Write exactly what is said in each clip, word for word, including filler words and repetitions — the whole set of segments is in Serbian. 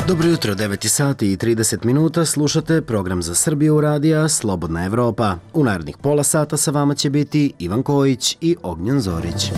Dobro jutro, devet sati i trideset minuta, slušate program za Srbiju radija Slobodna Evropa. U narednih pola sata sa vama će biti Ivan Kojić i Ognjen Zorić.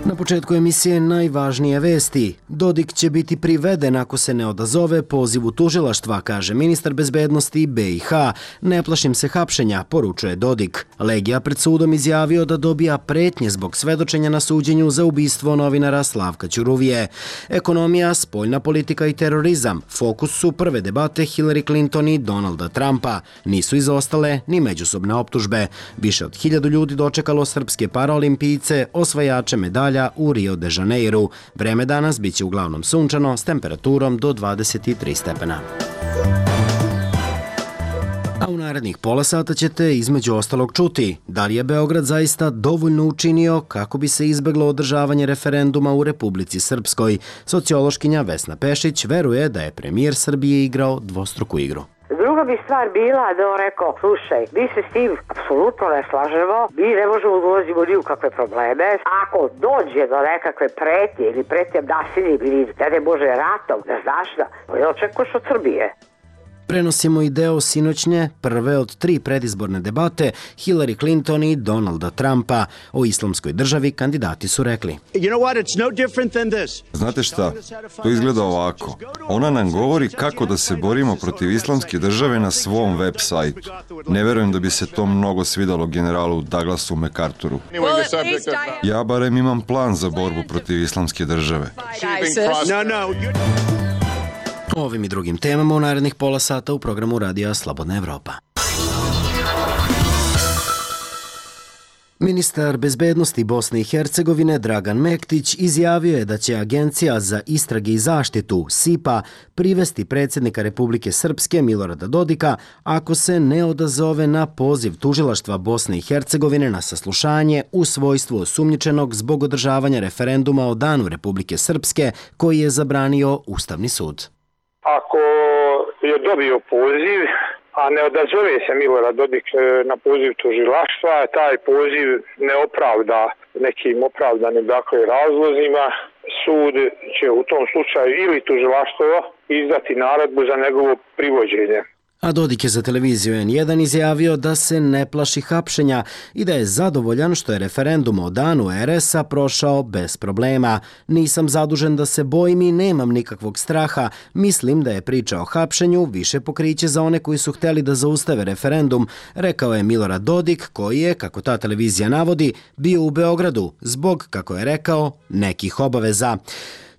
Na početku emisije najvažnije vesti. Dodik će biti priveden ako se ne odazove pozivu tužilaštva, kaže ministar bezbednosti B i H. Ne plašim se hapšenja, poručuje Dodik. Legija pred sudom izjavio da dobija pretnje zbog svedočenja na suđenju za ubistvo novinara Slavka Ćuruvije. Ekonomija, spoljna politika i terorizam. Fokus su prve debate Hillary Clinton i Donalda Trumpa. Nisu izostale ni međusobne optužbe. Više od hiljadu ljudi dočekalo srpske paraolimpijce, osvajače medalja u Rio de Janeiru. Vreme danas biće uglavnom sunčano s temperaturom do dvadeset tri stepena. A u narednih pola sata ćete između ostalog čuti da li je Beograd zaista dovoljno učinio kako bi se izbeglo održavanje referenduma u Republici Srpskoj. Sociološkinja Vesna Pešić veruje da je premijer Srbije igrao dvostruku igru. Druga bi stvar bila da on rekao, slušaj, mi se s tim apsolutno ne slažemo, mi ne možemo da ulazimo ni u kakve probleme. Ako dođe do nekakve pretnje ili pretnje nasiljem ili da ne može ratom, ne znaš da, ne očekuješ od Srbije. Prenosimo i deo sinoćnje, prve od tri predizborne debate Hillary Clinton i Donalda Trumpa. O islamskoj državi kandidati su rekli. Znate šta, to izgleda ovako. Ona nam govori kako da se borimo protiv islamske države na svom web sajtu. Ne verujem da bi se to mnogo svidalo generalu Douglasu MacArthuru. Ja barem imam plan za borbu protiv islamske države. O ovim i drugim temama u narednih pola sata u programu radija Slobodna Evropa. Ministar bezbednosti Bosne i Hercegovine Dragan Mektić izjavio je da će Agencija za istrage i zaštitu S I P A privesti predsjednika Republike Srpske Milorada Dodika ako se ne odazove na poziv tužilaštva Bosne i Hercegovine na saslušanje u svojstvu osumnjičenog zbog održavanja referenduma o Danu Republike Srpske koji je zabranio Ustavni sud. Ako je dobio poziv, a ne odazove se Milorad Dodik na poziv tužilaštva, taj poziv ne opravda nekim opravdanim dakle razlozima, sud će u tom slučaju ili tužilaštvo izdati naredbu za njegovo privođenje. A Dodik je za televiziju N jedan izjavio da se ne plaši hapšenja i da je zadovoljan što je referendum o Danu R S-a prošao bez problema. Nisam zadužen da se bojim i nemam nikakvog straha. Mislim da je priča o hapšenju više pokriće za one koji su hteli da zaustave referendum, rekao je Milorad Dodik, koji je, kako ta televizija navodi, bio u Beogradu zbog, kako je rekao, nekih obaveza.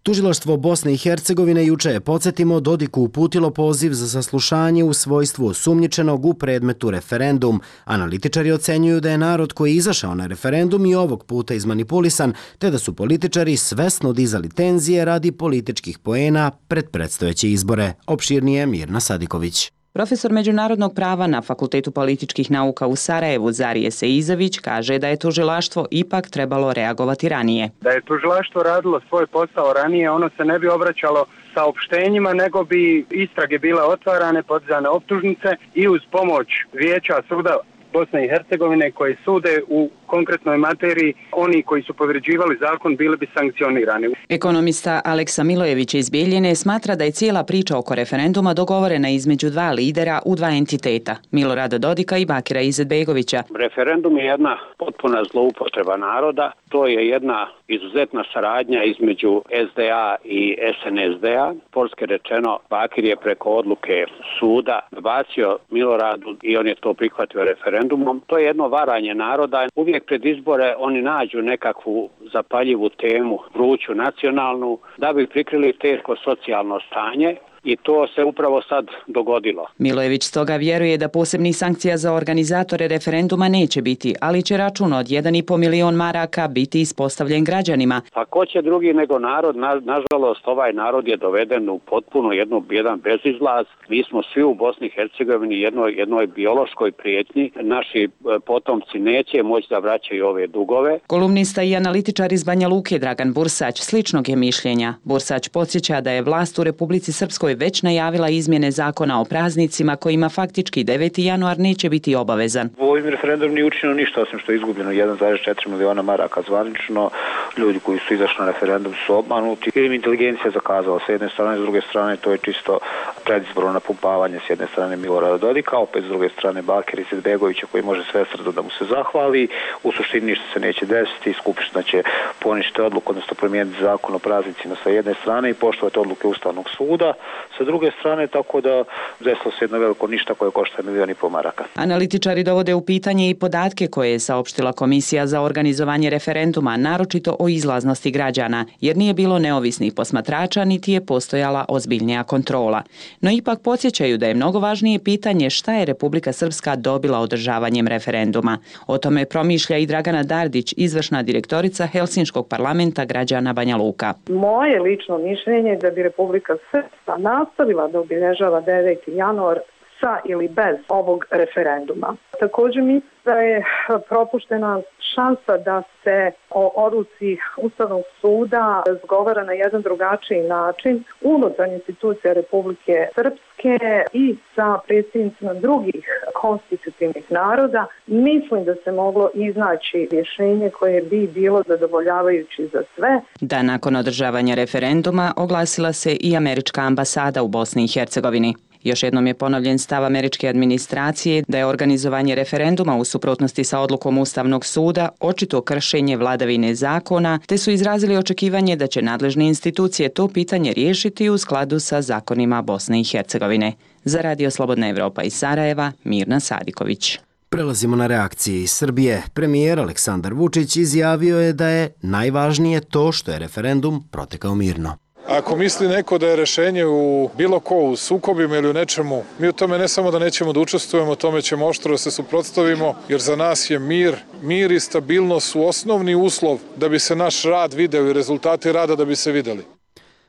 Tužilaštvo Bosne i Hercegovine juče je, podsjetimo, Dodiku uputilo poziv za saslušanje u svojstvu osumnjičenog u predmetu referendum. Analitičari ocenjuju da je narod koji je izašao na referendum i ovog puta izmanipulisan, te da su političari svesno dizali tenzije radi političkih poena pred predstojeće izbore. Opširnije Mirna Sadiković. Profesor međunarodnog prava na Fakultetu političkih nauka u Sarajevu Zarije Seizović kaže da je tužilaštvo ipak trebalo reagovati ranije. Da je tužilaštvo radilo svoj posao ranije, ono se ne bi obraćalo saopštenjima, nego bi istrage bile otvarane, podizane optužnice i uz pomoć Vijeća suda Bosne i Hercegovine koji sude u konkretnoj materiji, oni koji su povređivali zakon bili bi sankcionirani. Ekonomista Aleksa Milojević iz Bijeljine smatra da je cijela priča oko referenduma dogovorena između dva lidera u dva entiteta, Milorada Dodika i Bakira Izetbegovića. Referendum je jedna potpuna zloupotreba naroda, to je jedna izuzetna saradnja između S D A i S N S D-a. Polske rečeno, Bakir je preko odluke suda bacio Miloradu i on je to prihvatio referendumom. To je jedno varanje naroda. Uvijek pred izbore oni nađu nekakvu zapaljivu temu, vruću nacionalnu, da bi prikrili teško socijalno stanje. I to se upravo sad dogodilo. Milojević stoga vjeruje da posebnih sankcija za organizatore referenduma neće biti, ali će račun od jedan i po milion maraka biti ispostavljen građanima. Pa ko će drugi nego narod? Na, nažalost, ovaj narod je doveden u potpuno jednu, jedan bezizlaz. Mi smo svi u Bosni i Hercegovini jednoj, jednoj biološkoj prijetnji. Naši potomci neće moći da vraćaju ove dugove. Kolumnista i analitičar iz Banja Luke Dragan Bursać sličnog je mišljenja. Bursać podsjeća da je vlast u Republici Srpskoj Hrvatskoj već najavila izmjene zakona o praznicima kojima faktički deveti januar neće biti obavezan. Ovim referendumom nije učinjeno ništa osim što je izgubljeno jedan zarez četiri miliona maraka zvanično. Ljudi koji su izašli na referendum su obmanuti ili im inteligencija zakazala s jedne strane, s druge strane to je čisto predizborno napumpavanje s jedne strane Milorada Dodika, opet s druge strane Bakira Izetbegovića koji može sve srdo da mu se zahvali. U suštini ništa se neće desiti, Skupština će poništiti odluku, odnosno promijeniti zakon o praznicima sa jedne strane i poštovati odluke Ustavnog suda sa druge strane, tako da desilo se jedno veliko ništa koje košta milion i pol maraka. Analitičari dovode u pitanje i podatke koje je saopštila Komisija za organizovanje referenduma, naročito o izlaznosti građana, jer nije bilo neovisnih posmatrača niti je postojala ozbiljnija kontrola. No ipak podsjećaju da je mnogo važnije pitanje šta je Republika Srpska dobila održavanjem referenduma. O tome promišlja i Dragana Dardić, izvršna direktorica Helsinškog parlamenta građana Banja Luka. Moje lično mišljenje je da bi Republika Srpska nastavila da obilježava deveti januar sa ili bez ovog referenduma. Također mislim da je propuštena šansa da se o odluci Ustavnog suda razgovara na jedan drugačiji način unutar institucija Republike Srpske i sa predsjednicima drugih konstitutivnih naroda. Mislim da se moglo iznaći rješenje koje bi bilo zadovoljavajući za sve. Da nakon održavanja referenduma oglasila se i američka ambasada u Bosni i Hercegovini. Još jednom je ponovljen stav američke administracije da je organizovanje referenduma u suprotnosti sa odlukom Ustavnog suda očito kršenje vladavine zakona, te su izrazili očekivanje da će nadležne institucije to pitanje riješiti u skladu sa zakonima Bosne i Hercegovine. Za Radio Slobodna Evropa iz Sarajeva, Mirna Sadiković. Prelazimo na reakcije iz Srbije. Premijer Aleksandar Vučić izjavio je da je najvažnije to što je referendum protekao mirno. Ako misli neko da je rešenje u bilo ko u sukobima ili u nečemu, mi u tome ne samo da nećemo da učestvujemo, tome ćemo oštro da se suprotstavimo, jer za nas je mir, mir i stabilnost su osnovni uslov da bi se naš rad video i rezultati rada da bi se videli.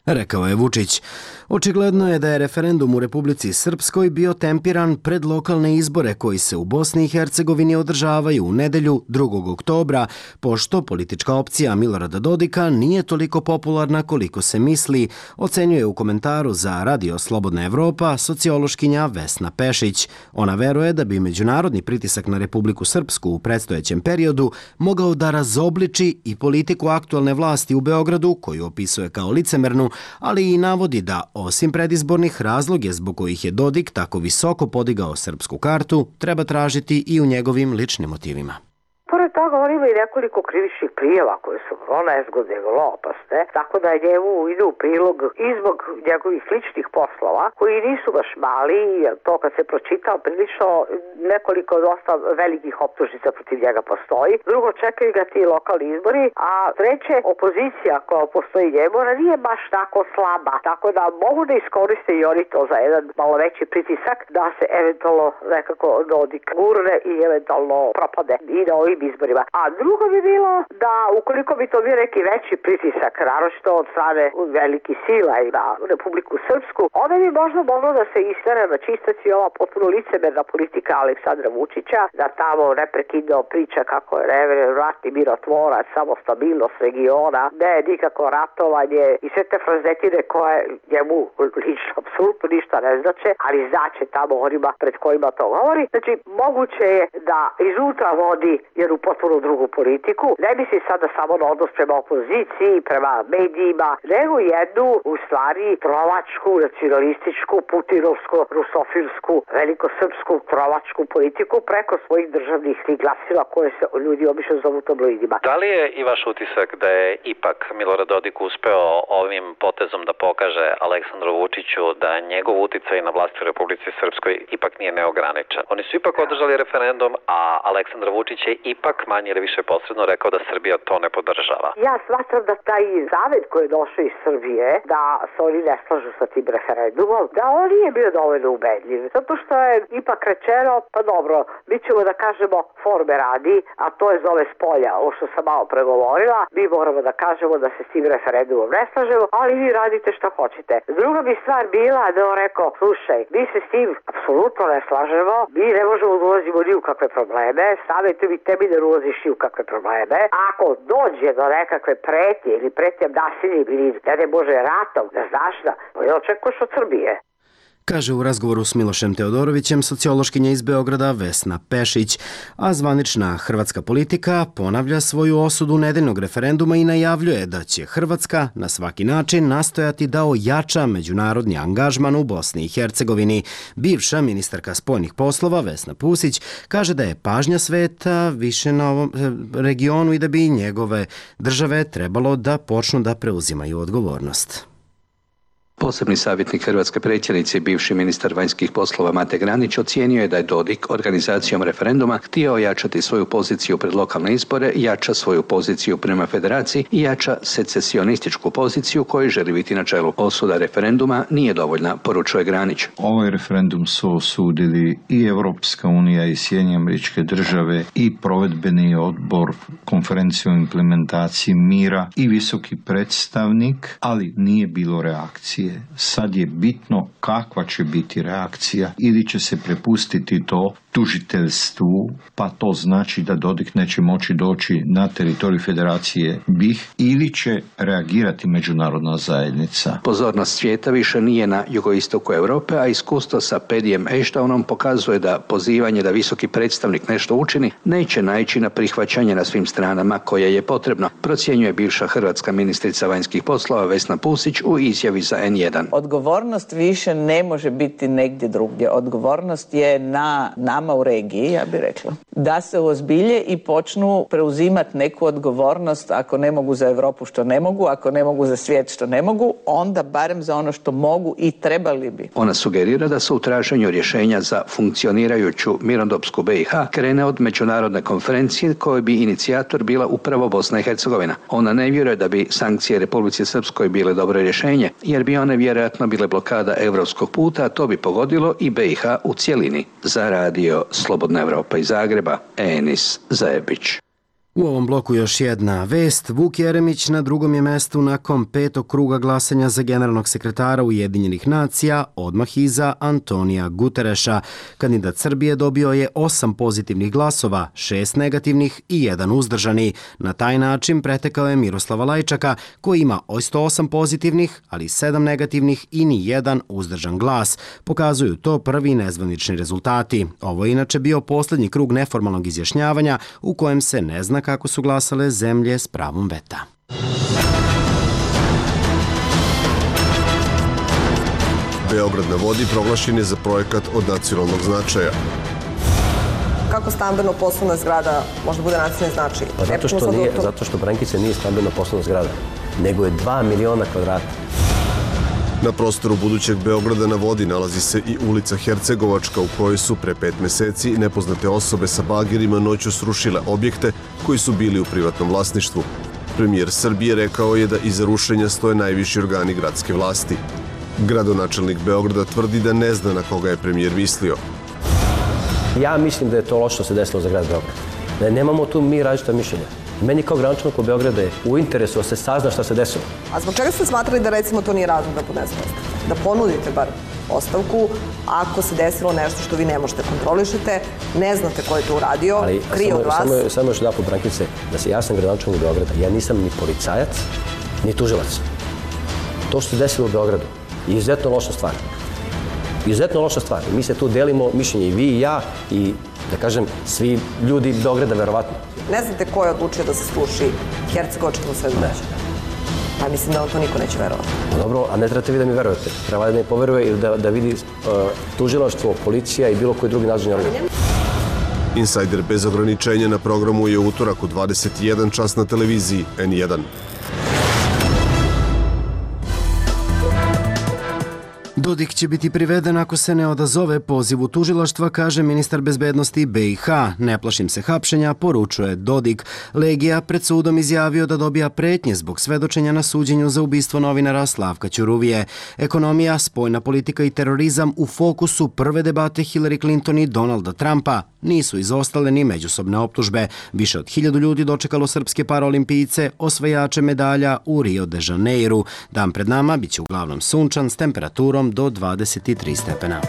Rekao je Vučić. Očigledno je da je referendum u Republici Srpskoj bio tempiran pred lokalne izbore koji se u Bosni i Hercegovini održavaju u nedelju drugog oktobra, pošto politička opcija Milorada Dodika nije toliko popularna koliko se misli, ocenjuje u komentaru za Radio Slobodna Evropa sociološkinja Vesna Pešić. Ona veruje da bi međunarodni pritisak na Republiku Srpsku u predstojećem periodu mogao da razobliči i politiku aktualne vlasti u Beogradu, koju opisuje kao licemernu, ali i navodi da osim predizbornih razloge zbog kojih je Dodik tako visoko podigao srpsku kartu, treba tražiti i u njegovim ličnim motivima. Pored toga on ima i nekoliko krivičnih prijava koje su vrlo nezgodne i vrlo opasne, tako da njemu ide u prilog i zbog njegovih ličnih poslova koji nisu baš mali, to kad se pročitao prilično nekoliko dosta velikih optužnica protiv njega postoji. Drugo, čekaju ga ti lokalni izbori, a treće, opozicija koja postoji njemu, ona nije baš tako slaba, tako da mogu da iskoriste i oni to za jedan malo veći pritisak da se eventualno nekako Dodik gurne i eventualno propade i na ovim izborima. A drugo bi bilo da ukoliko bi to bio neki veći pritisak, naročito od strane velikih sila i na Republiku Srpsku, onda bi možda moglo da se istere na čistac i ova potpuno licemerna politika Aleksandra Vučića, da tamo neprekidno priča kako je ratni mirotvorac, samo stabilnost regiona, ne nikako ratovanje i sve te frazetine koje njemu lično apsolutno ništa ne znače, ali znače tamo onima pred kojima to govori. Znači, moguće je da iznutra vodi jednu potpuno drugu politiku. Ne misli sada samo na odnos prema opoziciji, prema medijima, nego jednu, u stvari, trovačku, nacionalističku, putinovsku, rusofilsku, velikosrpsku, trovačku politiku preko svojih državnih glasila koje se ljudi obično zovu tabloidima. Da li je i vaš utisak da je ipak Milorad Dodik uspeo ovim potezom da pokaže Aleksandru Vučiću da njegov uticaj na vlasti u Republici Srpskoj ipak nije neograničen? Oni su ipak održali referendum, a Aleksandar Vučić je ipak manje ili više posredno rekao da Srbija to ne podržava. Ja smatram da taj zavet koji je došao iz Srbije, da se oni ne slažu sa tim referendumom, da on nije bio dovoljno ubedljiv. Zato što je ipak rečeno, pa dobro, mi ćemo da kažemo forme radi, a to je zove spolja, ovo što sam malo pregovorila, mi moramo da kažemo da se s tim referendumom ne slažemo, ali vi radite šta hoćete. Druga bi stvar bila da on rekao, slušaj, mi se s tim apsolutno ne slažemo, mi ne možemo da ulazimo ni u kakve probleme, savjetujem i tebi da uvoziš i u kakve probleme. Ako dođe do nekakve pretnje ili pretnje nasiljem ili, ne daj Bože, ratom, ne znaš da, ne očekuješ od Srbije. Kaže u razgovoru s Milošem Teodorovićem sociološkinja iz Beograda Vesna Pešić, a zvanična hrvatska politika ponavlja svoju osudu nedeljnog referenduma i najavljuje da će Hrvatska na svaki način nastojati da ojača međunarodni angažman u Bosni i Hercegovini. Bivša ministarka spoljnih poslova Vesna Pusić kaže da je pažnja sveta više na ovom regionu i da bi njegove države trebalo da počnu da preuzimaju odgovornost. Posebni savjetnik hrvatske predsjednice i bivši ministar vanjskih poslova Mate Granić ocijenio je da je Dodik organizacijom referenduma htio ojačati svoju poziciju pred lokalne izbore, jača svoju poziciju prema federaciji i jača secesionističku poziciju koju želi biti na čelu. Osuda referenduma nije dovoljna, poručuje Granić. Ovaj referendum su osudili i Europska unija i Sjedinjene Američke Države i provedbeni odbor konferencije o implementaciji mira i visoki predstavnik, ali nije bilo reakcije. Sad je bitno kakva će biti reakcija ili će se prepustiti to tužiteljstvu, pa to znači da Dodik neće moći doći na teritorij Federacije B i H ili će reagirati međunarodna zajednica. Pozornost svijeta više nije na jugoistoku Europe, a iskustvo sa Pedijem Ashtonom pokazuje da pozivanje da visoki predstavnik nešto učini neće naići na prihvaćanje na svim stranama koje je potrebno, procjenjuje bivša hrvatska ministrica vanjskih poslova Vesna Pusić u izjavi za en jedan. Odgovornost više ne može biti negdje drugdje. Odgovornost je na nama u regiji, ja bih rekla. Da se uozbilje i počnu preuzimati neku odgovornost, ako ne mogu za Europu što ne mogu, ako ne mogu za svijet što ne mogu, onda barem za ono što mogu i trebali bi. Ona sugerira da se u traženju rješenja za funkcionirajuću mirnodopsku B i H krene od međunarodne konferencije koje bi inicijator bila upravo Bosna i Hercegovina. Ona ne vjeruje da bi sankcije Republici Srpskoj bile dobro rješenje, jer bi one vjerojatno bile blokada europskog puta, a to bi pogodilo i B i H u cjelini. Za radio Slobodna Evropa iz Zagreba, Enis Zajebić. U ovom bloku još jedna vest. Vuk Jeremić na drugom je mestu nakon petog kruga glasanja za generalnog sekretara Ujedinjenih nacija, odmah iza Antonija Gutereša. Kandidat Srbije dobio je osam pozitivnih glasova, šest negativnih i jedan uzdržani. Na taj način pretekao je Miroslava Lajčaka, koji ima sto osam pozitivnih, ali sedam negativnih i ni jedan uzdržan glas. Pokazuju to prvi nezvanični rezultati. Ovo je inače bio posljednji krug neformalnog izjašnjavanja u kojem se ne zna kako su glasale zemlje s pravom veta. Beograd na vodi proglašen je za projekat od nacionalnog značaja. Kako stambeno-poslovna zgrada može bude nacionalni značaj? Pa zato što, nije, zato što Brankica nije stambeno-poslovna zgrada, nego je dva miliona kvadrata. Na prostoru budućeg Beograda na vodi nalazi se i ulica Hercegovačka u kojoj su pre pet meseci nepoznate osobe sa bagerima noću srušile objekte koji su bili u privatnom vlasništvu. Premijer Srbije rekao je da iza rušenja stoje najviši organi gradske vlasti. Gradonačelnik Beograda tvrdi da ne zna na koga je premijer mislio. Ja mislim da je to loše što se desilo za grad Beograd. Da nemamo tu mi različita mišljenja. Meni kao gradonačelniku Beograda je u interesu da se sazna šta se desilo. A zbog čega ste smatrali da recimo to nije razlog da podnesete ostavku? Da ponudite bar ostavku ako se desilo nešto što vi ne možete kontrolišete, ne znate ko je to uradio, krije od vas. Samo, samo još jedan put, Brankice, da se ja sam gradonačelnik Beograda, ja nisam ni policajac, ni tužilac. To što se desilo u Beogradu je izuzetno loša stvar. Izuzetno loša stvar. Mi se tu delimo mišljenje i vi i ja i, da kažem, svi ljudi Beograda, verovatno. Ne znate ko je odlučio da se sluši hercegovačkom svedočenju? Pa mislim da vam to niko neće verovati. Dobro, a ne trebate vi da mi verujete. Treba da mi poveruje ili da, da vidi uh, tužilaštvo, policija i bilo koji drugi nadležni organ. Insajder bez ograničenja na programu je utorak u dvadeset jedan čas na televiziji en jedan. Dodik će biti priveden ako se ne odazove pozivu tužilaštva, kaže ministar bezbednosti B i H. Ne plašim se hapšenja, poručuje Dodik. Legija pred sudom izjavio da dobija pretnje zbog svedočenja na suđenju za ubistvo novinara Slavka Ćuruvije. Ekonomija, spoljna politika i terorizam u fokusu prve debate Hillary Clinton i Donalda Trumpa. Nisu izostale ni međusobne optužbe. Više od hiljadu ljudi dočekalo srpske paraolimpijce, osvajače medalja u Rio de Janeiru. Dan pred nama biće uglavnom sunčan s temperaturom do dvadeset tri stepena.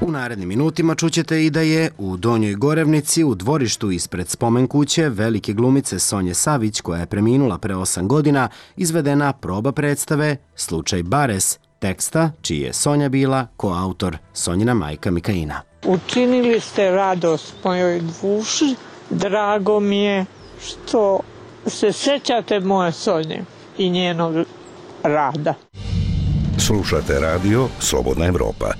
U narednim minutima čućete i da je u Donjoj Gorevnici u dvorištu ispred spomen kuće velike glumice Sonje Savić, koja je preminula pre osam godina, izvedena proba predstave Slučaj Bares, teksta čiji je Sonja bila koautor, Sonjina majka Mikaina. Učinili ste radost mojoj duši, drago mi je što se sećate moje Sonje i njenog rada. Slušate radio Slobodna Evropa.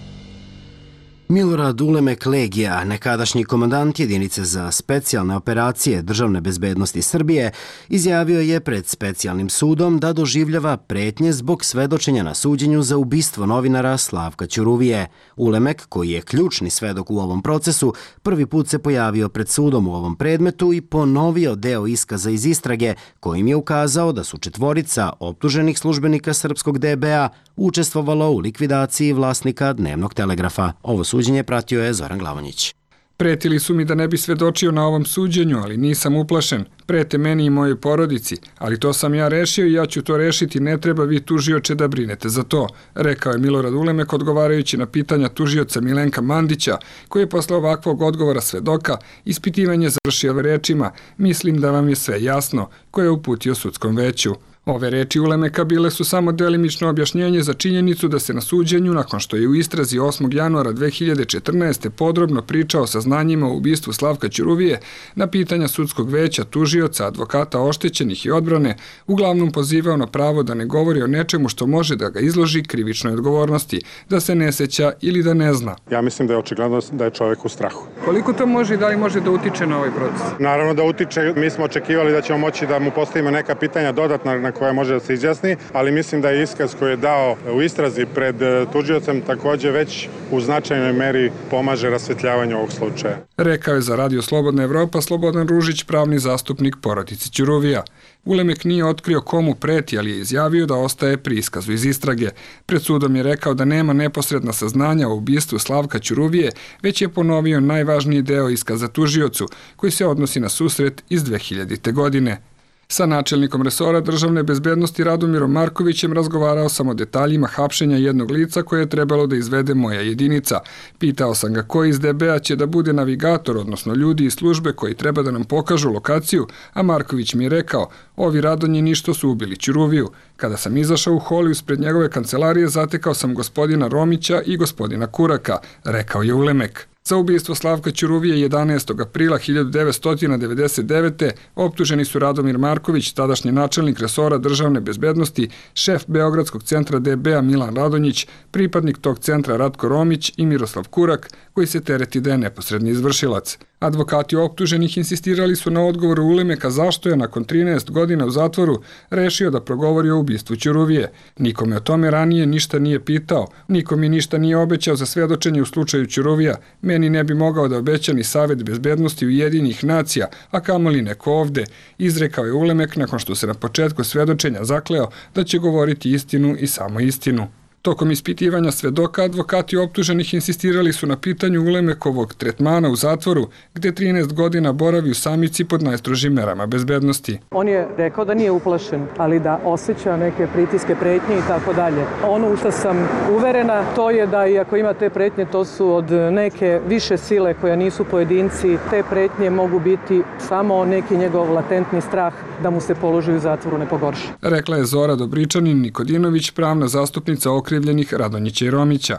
Milorad Ulemek Legija, nekadašnji komandant jedinice za specijalne operacije Državne bezbednosti Srbije, izjavio je pred specijalnim sudom da doživljava pretnje zbog svedočenja na suđenju za ubistvo novinara Slavka Ćuruvije. Ulemek, koji je ključni svedok u ovom procesu, prvi put se pojavio pred sudom u ovom predmetu i ponovio deo iskaza iz istrage, kojim je ukazao da su četvorica optuženih službenika srpskog D B A učestvovalo u likvidaciji vlasnika Dnevnog telegrafa. Ovo suđenje pratio je Zoran Glavonjić. Pretili su mi da ne bi svedočio na ovom suđenju, ali nisam uplašen. Prete meni i mojoj porodici, ali to sam ja rešio i ja ću to rešiti, ne treba vi tužioče da brinete za to, rekao je Milorad Ulemek odgovarajući na pitanja tužioca Milenka Mandića, koji je posle ovakvog odgovora svedoka ispitivanje završio rečima "Mislim da vam je sve jasno", koje je uputio sudskom veću. Ove reči Ulemeka bile su samo delimično objašnjenje za činjenicu da se na suđenju, nakon što je u istrazi osmog januara dve hiljade četrnaeste. podrobno pričao o saznanjima o ubistvu Slavka Ćuruvije, na pitanja sudskog veća, tužioca, advokata oštećenih i odbrane, uglavnom pozivao na pravo da ne govori o nečemu što može da ga izloži krivičnoj odgovornosti, da se ne seća ili da ne zna. Ja mislim da je očigledno da je čovjek u strahu. Koliko to može i da li može da utiče na ovaj proces? Naravno da utiče, mi smo očekivali da ćemo moći da mu postavimo neka pitanja dodatna na koja može da se izjasni, ali mislim da je iskaz koji je dao u istrazi pred tužiocem takođe već u značajnoj meri pomaže rasvetljavanju ovog slučaja. Rekao je za Radio Slobodna Evropa Slobodan Ružić, pravni zastupnik porodice Ćuruvija. Ulemek nije otkrio komu preti, ali je izjavio da ostaje pri iskazu iz istrage. Pred sudom je rekao da nema neposredna saznanja o ubistvu Slavka Ćuruvije, već je ponovio najvažniji deo iskaza tužiocu, koji se odnosi na susret iz dve hiljadite. godine. Sa načelnikom resora državne bezbednosti Radomirom Markovićem razgovarao sam o detaljima hapšenja jednog lica koje je trebalo da izvede moja jedinica. Pitao sam ga koji iz D B A će da bude navigator, odnosno ljudi iz službe koji treba da nam pokažu lokaciju, a Marković mi je rekao, ovi Radonjini što su ubili Ćuruviju. Kada sam izašao u hol ispred njegove kancelarije, zatekao sam gospodina Romića i gospodina Kuraka, rekao je Ulemek. Za ubistvo Slavka Ćuruvije jedanaestog aprila hiljadu devetsto devedeset devete. optuženi su Radomir Marković, tadašnji načelnik resora državne bezbednosti, šef Beogradskog centra D B A Milan Radonjić, pripadnik tog centra Ratko Romić i Miroslav Kurak, koji se tereti da je neposredni izvršilac. Advokati optuženih insistirali su na odgovoru Ulemeka zašto je nakon trinaest godina u zatvoru rešio da progovori o ubistvu Ćuruvije. Nikome o tome ranije ništa nije pitao, niko mi ništa nije obećao za svedočenje u slučaju Ćuruvija, meni ne bi mogao da obeća ni Savet bezbednosti Ujedinjenih nacija, a kamoli neko ovde, izrekao je Ulemek nakon što se na početku svedočenja zakleo da će govoriti istinu i samo istinu. Tokom ispitivanja svedoka, advokati optuženih insistirali su na pitanju Ulemekovog tretmana u zatvoru, gde trinaest godina boravi u samici pod najstrožim merama bezbednosti. On je rekao da nije uplašen, ali da osjeća neke pritiske, pretnje i tako dalje. Ono u što sam uverena, to je da i ako ima te pretnje, to su od neke više sile koje nisu pojedinci. Te pretnje mogu biti samo neki njegov latentni strah da mu se položi u zatvoru ne pogorša. Rekla je Zora Dobričanin Nikodinović, pravna zastupnica okrivljenih Radonjića i Romića.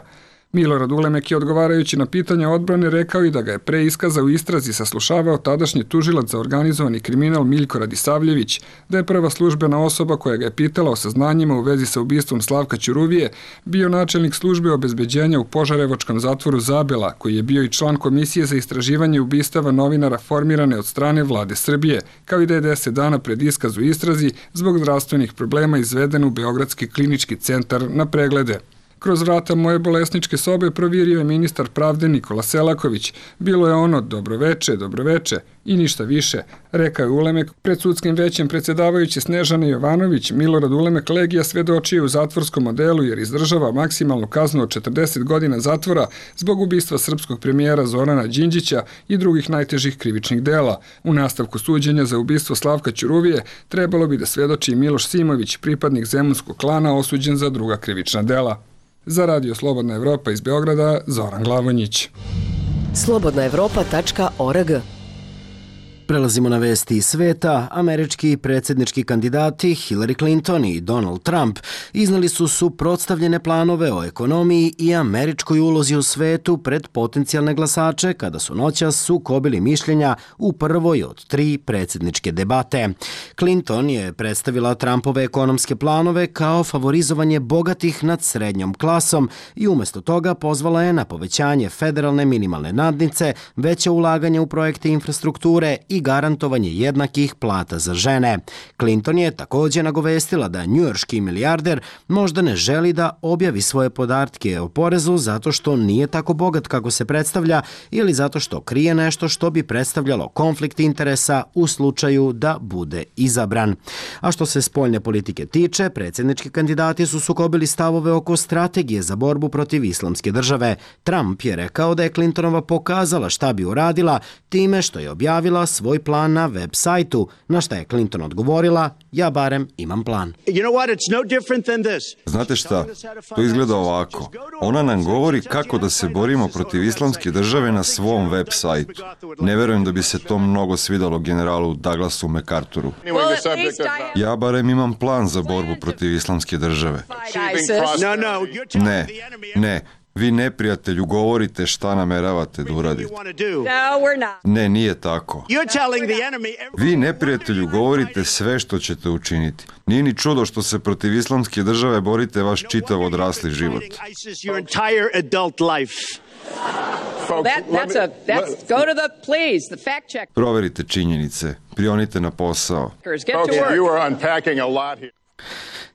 Milorad Ulemek je odgovarajući na pitanja odbrane rekao i da ga je pre iskaza u istrazi saslušavao tadašnji tužilac za organizovani kriminal Miljko Radisavljević, da je prva službena osoba koja ga je pitala o saznanjima u vezi sa ubistvom Slavka Ćuruvije bio načelnik službe obezbeđenja u Požarevačkom zatvoru Zabela, koji je bio i član komisije za istraživanje ubistava novinara formirane od strane vlade Srbije, kao i da je deset dana pred iskaz u istrazi zbog zdravstvenih problema izveden u Beogradski klinički centar na preglede. Kroz vrata moje bolesničke sobe provirio je ministar pravde Nikola Selaković. Bilo je ono dobroveče, dobroveče i ništa više, rekao je Ulemek. Pred sudskim većem predsedavajući Snežana Jovanović, Milorad Ulemek Legija svedočio u zatvorskom odelu jer izdržava maksimalnu kaznu od četrdeset godina zatvora zbog ubistva srpskog premijera Zorana Đinđića i drugih najtežih krivičnih dela. U nastavku suđenja za ubistvo Slavka Ćuruvije trebalo bi da svedoči Miloš Simović, pripadnik zemunskog klana osuđen za druga krivična dela. Za Radio Slobodna Evropa iz Beograda, Zoran Glavonjić. slobodna evropa tačka org. Prelazimo na vesti iz sveta. Američki predsjednički kandidati Hillary Clinton i Donald Trump iznali su suprotstavljene planove o ekonomiji i američkoj ulozi u svetu pred potencijalne glasače kada su noćas sukobili mišljenja u prvoj od tri predsjedničke debate. Clinton je predstavila Trumpove ekonomske planove kao favorizovanje bogatih nad srednjom klasom i umjesto toga pozvala je na povećanje federalne minimalne nadnice, veće ulaganje u projekte infrastrukture i garantovanje jednakih plata za žene. Clinton je također nagovestila da njujorški milijarder možda ne želi da objavi svoje podatke o porezu zato što nije tako bogat kako se predstavlja ili zato što krije nešto što bi predstavljalo konflikt interesa u slučaju da bude izabran. A što se spoljne politike tiče, predsjednički kandidati su sukobili stavove oko strategije za borbu protiv islamske države. Trump je rekao da je Clintonova pokazala šta bi uradila time što je objavila svoj plan na web sajtu, na šta je Clinton odgovorila: ja barem imam plan. Znate šta? To izgleda ovako. Ona nam govori kako da se borimo protiv islamske države na svom web sajtu. Ne verujem da bi se to mnogo svidalo generalu Douglasu MacArthuru. Ja barem imam plan za borbu protiv islamske države. Ne, ne. Vi neprijatelju govorite šta nameravate da uradite. Ne, nije tako. Vi neprijatelju govorite sve što ćete učiniti. Nije ni čudo što se protiv islamske države borite vaš čitav odrasli život. Proverite činjenice. Prionite na posao.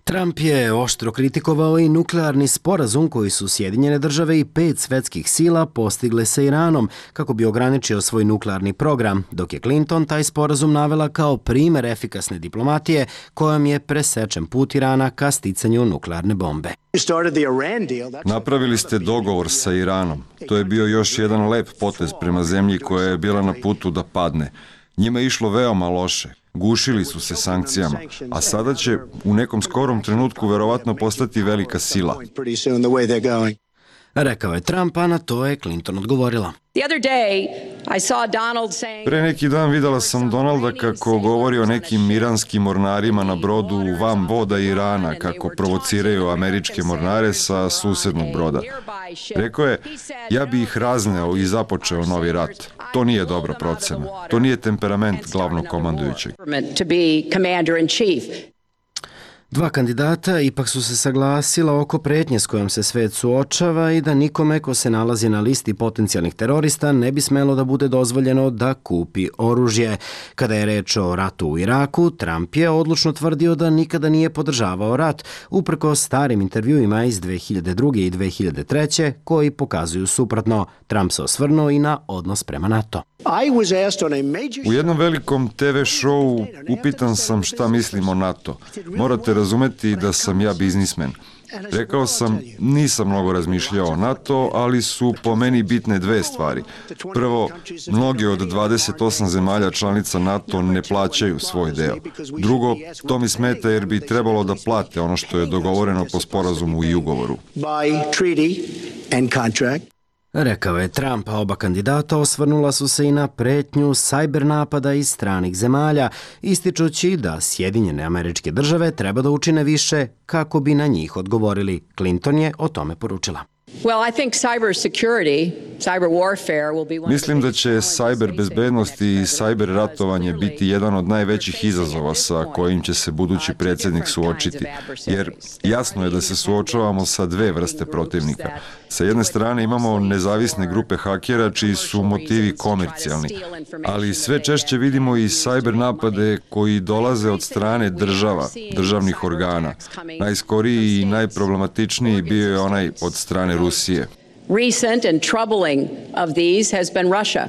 Trump je oštro kritikovao i nuklearni sporazum koji su Sjedinjene države i pet svetskih sila postigle sa Iranom kako bi ograničio svoj nuklearni program, dok je Clinton taj sporazum navela kao primer efikasne diplomatije kojom je presečen put Irana ka sticanju nuklearne bombe. Napravili ste dogovor sa Iranom. To je bio još jedan lep potez prema zemlji koja je bila na putu da padne. Njima je išlo veoma loše. Gušili su se sankcijama, a sada će u nekom skorom trenutku verovatno postati velika sila. Rekao je Trump, a na to je Clinton odgovorila. Pre neki dan videla sam Donalda kako govori o nekim iranskim mornarima na brodu van voda Irana, kako provociraju američke mornare sa susednog broda. Rekao je, ja bi ih razneo i započeo novi rat. To nije dobra procena. To nije temperament glavnog komandujućeg. Dva kandidata ipak su se saglasila oko pretnje s kojom se svet suočava i da nikome ko se nalazi na listi potencijalnih terorista ne bi smelo da bude dozvoljeno da kupi oružje. Kada je reč o ratu u Iraku, Trump je odlučno tvrdio da nikada nije podržavao rat, uprko starim intervjuima iz dve hiljade druge. i dve hiljade treće koji pokazuju suprotno. Trump se osvrnuo i na odnos prema NATO. U jednom velikom te ve šovu upitan sam šta mislim o NATO. Morate razumeti da sam ja biznismen. Rekao sam, nisam mnogo razmišljao o NATO, ali su po meni bitne dve stvari. Prvo, mnoge od dvadeset osam zemalja članica NATO ne plaćaju svoj deo. Drugo, to mi smeta jer bi trebalo da plate ono što je dogovoreno po sporazumu i ugovoru. Rekao je Trump, a oba kandidata osvrnula su se i na pretnju sajber napada iz stranih zemalja, ističući da Sjedinjene Američke Države treba da učine više kako bi na njih odgovorili. Clinton je o tome poručila. Mislim da će cyber bezbednost i cyber ratovanje biti jedan od najvećih izazova sa kojim će se budući predsjednik suočiti, jer jasno je da se suočavamo sa dve vrste protivnika. Sa jedne strane imamo nezavisne grupe hakera čiji su motivi komercijalni, ali sve češće vidimo i cyber napade koji dolaze od strane država, državnih organa. Najskoriji i najproblematičniji bio je onaj od strane Rusije. Recent and troubling of these has been Russia.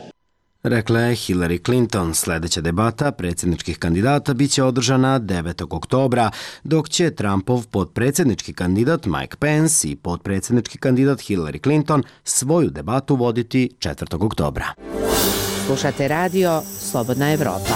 Rekla je Hillary Clinton. Sljedeća debata predsjedničkih kandidata biće održana devetog oktobra, dok će Trumpov potpredsjednički kandidat Mike Pence i potpredsjednički kandidat Hillary Clinton svoju debatu voditi četvrtog oktobra. Slušate radio Slobodna Evropa.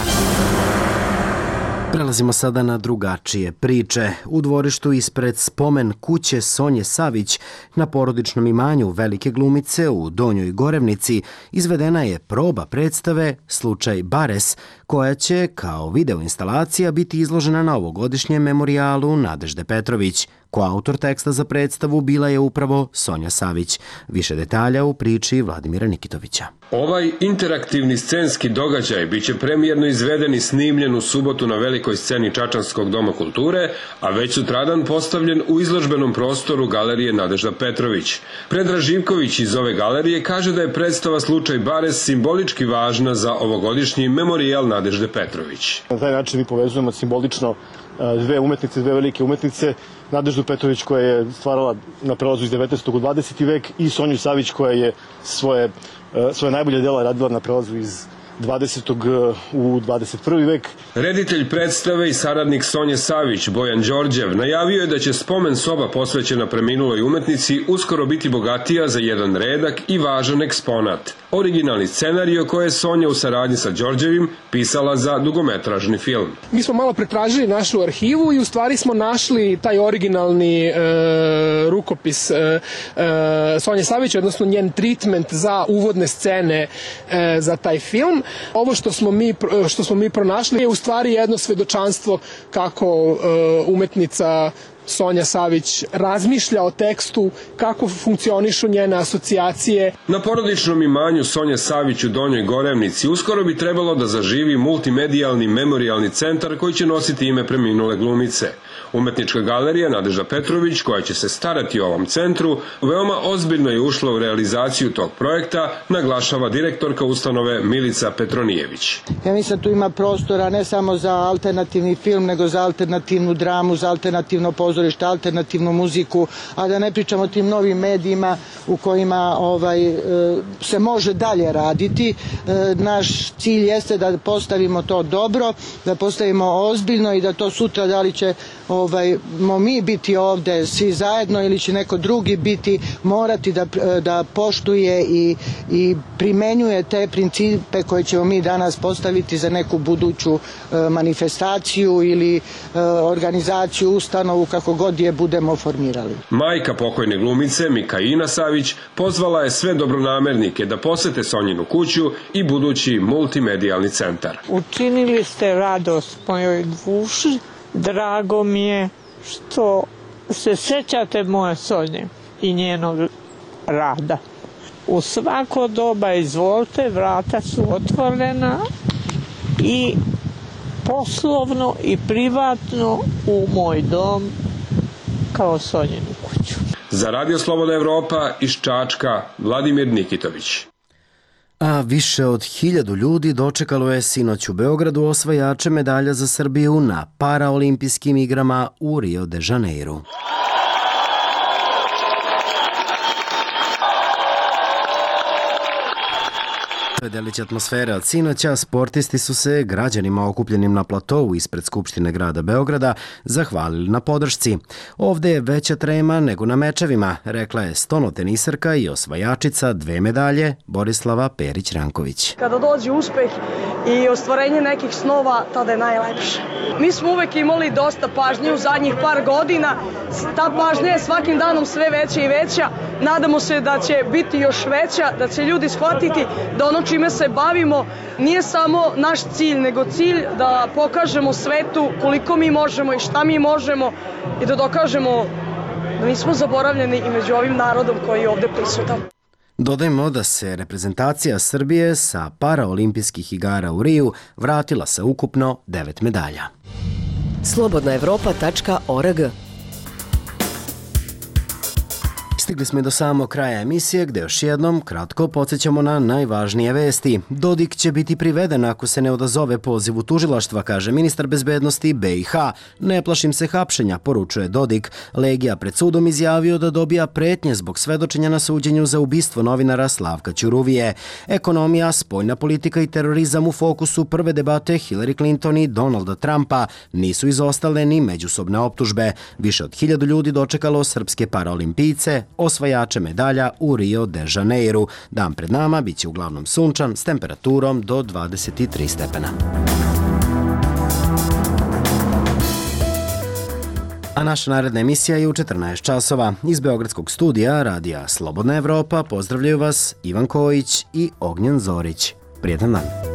Prelazimo sada na drugačije priče. U dvorištu ispred spomen kuće Sonje Savić na porodičnom imanju velike glumice u Donjoj Gorevnici izvedena je proba predstave Slučaj Bares, koja će kao videoinstalacija biti izložena na ovogodišnjem memorijalu Nadežde Petrović. Koautor teksta za predstavu bila je upravo Sonja Savić. Više detalja u priči Vladimira Nikitovića. Ovaj interaktivni scenski događaj biće premijerno izveden i snimljen u subotu na velikoj sceni Čačanskog doma kulture, a već sutradan postavljen u izložbenom prostoru Galerije Nadežda Petrović. Predrag Živković iz ove galerije kaže da je predstava Slučaj Bares simbolički važna za ovogodišnji memorijal Nadežde Petrović. Na taj način mi povezujemo simbolično dve umetnice, dve velike umetnice, Nadeždu Petrović koja je stvarala na prelazu iz devetnaestog u dvadeseti vek i Sonju Savić koja je svoje, svoje najbolje dela radila na prelazu iz dvadesetog u dvadeset prvi vek. Reditelj predstave i saradnik Sonje Savić, Bojan Đorđev, najavio je da će spomen soba posvećena preminuloj umetnici uskoro biti bogatija za jedan redak i važan eksponat. Originalni scenario koje je Sonja u saradnji sa Đorđevim pisala za dugometražni film. Mi smo malo pretražili našu arhivu i u stvari smo našli taj originalni e, rukopis e, e, Sonje Savić, odnosno njen treatment za uvodne scene e, za taj film. Ovo što smo mi, što smo mi pronašli je u stvari jedno svedočanstvo kako e, umetnica Sonja Savić razmišlja o tekstu, kako funkcionišu njene asocijacije. Na porodičnom imanju Sonje Savić u Donjoj Gorevnici uskoro bi trebalo da zaživi multimedijalni memorijalni centar koji će nositi ime preminule glumice. Umetnička galerija Nadežda Petrović, koja će se starati o ovom centru, veoma ozbiljno je ušla u realizaciju tog projekta, naglašava direktorka ustanove Milica Petronijević. Ja mislim da tu ima prostora ne samo za alternativni film, nego za alternativnu dramu, za alternativno pozorište, alternativnu muziku, a da ne pričamo o tim novim medijima u kojima ovaj, se može dalje raditi. Naš cilj jeste da postavimo to dobro, da postavimo ozbiljno i da to sutra da li će ovaj, mo mi biti ovde svi zajedno ili će neko drugi biti, morati da, da poštuje i, i primenjuje te principe koje ćemo mi danas postaviti za neku buduću e, manifestaciju ili e, organizaciju, ustanovu, kako god je budemo formirali. Majka pokojne glumice Mikaina Savić pozvala je sve dobronamernike da posete Sonjinu kuću i budući multimedijalni centar. Učinili ste radost mojoj duši. Drago mi je što se sećate moje Sonje i njenog rada. U svako doba izvolite, vrata su otvorena i poslovno i privatno u moj dom kao Sonjinu kuću. Za Radio Slobodna Evropa iz Čačka, Vladimir Nikitović. A više od hiljadu ljudi dočekalo je sinoć u Beogradu osvajače medalja za Srbiju na paraolimpijskim igrama u Rio de Janeiru. To je delić atmosfere od sinoća. Sportisti su se građanima okupljenim na platovu ispred Skupštine grada Beograda zahvalili na podršci. Ovde je veća trema nego na mečevima, rekla je stonotenisarka i osvajačica dve medalje Borislava Perić-Ranković. Kada dođe uspeh i ostvarenje nekih snova, tada je najlepše. Mi smo uvek imali dosta pažnje u zadnjih par godina. Ta pažnja je svakim danom sve veća i veća. Nadamo se da će biti još veća, da će ljudi shvatiti da ono čime se bavimo nije samo naš cilj, nego cilj da pokažemo svetu koliko mi možemo i šta mi možemo i da dokažemo da nismo zaboravljeni i među ovim narodom koji je ovde prisutan. Dodajmo da se reprezentacija Srbije sa paraolimpijskih igara u Riju vratila sa ukupno devet medalja. slobodna evropa tačka org. Stigli smo i do samog kraja emisije gde još jednom kratko podsjećamo na najvažnije vesti. Dodik će biti priveden ako se ne odazove pozivu tužilaštva, kaže ministar bezbednosti B i H. Ne plašim se hapšenja, poručuje Dodik. Legija pred sudom izjavio da dobija pretnje zbog svedočenja na suđenju za ubistvo novinara Slavka Ćuruvije. Ekonomija, spoljna politika i terorizam u fokusu prve debate Hillary Clinton i Donalda Trumpa. Nisu izostale ni međusobne optužbe. Više od hiljadu ljudi dočekalo srpske paraolimpijce, osvajače medalja u Rio de Janeiru. Dan pred nama biće uglavnom sunčan s temperaturom do dvadeset tri stepena. A naša naredna emisija je u četrnaest časova. Iz Beogradskog studija Radija Slobodna Evropa pozdravljaju vas Ivan Kojić i Ognjen Zorić. Prijetan dan.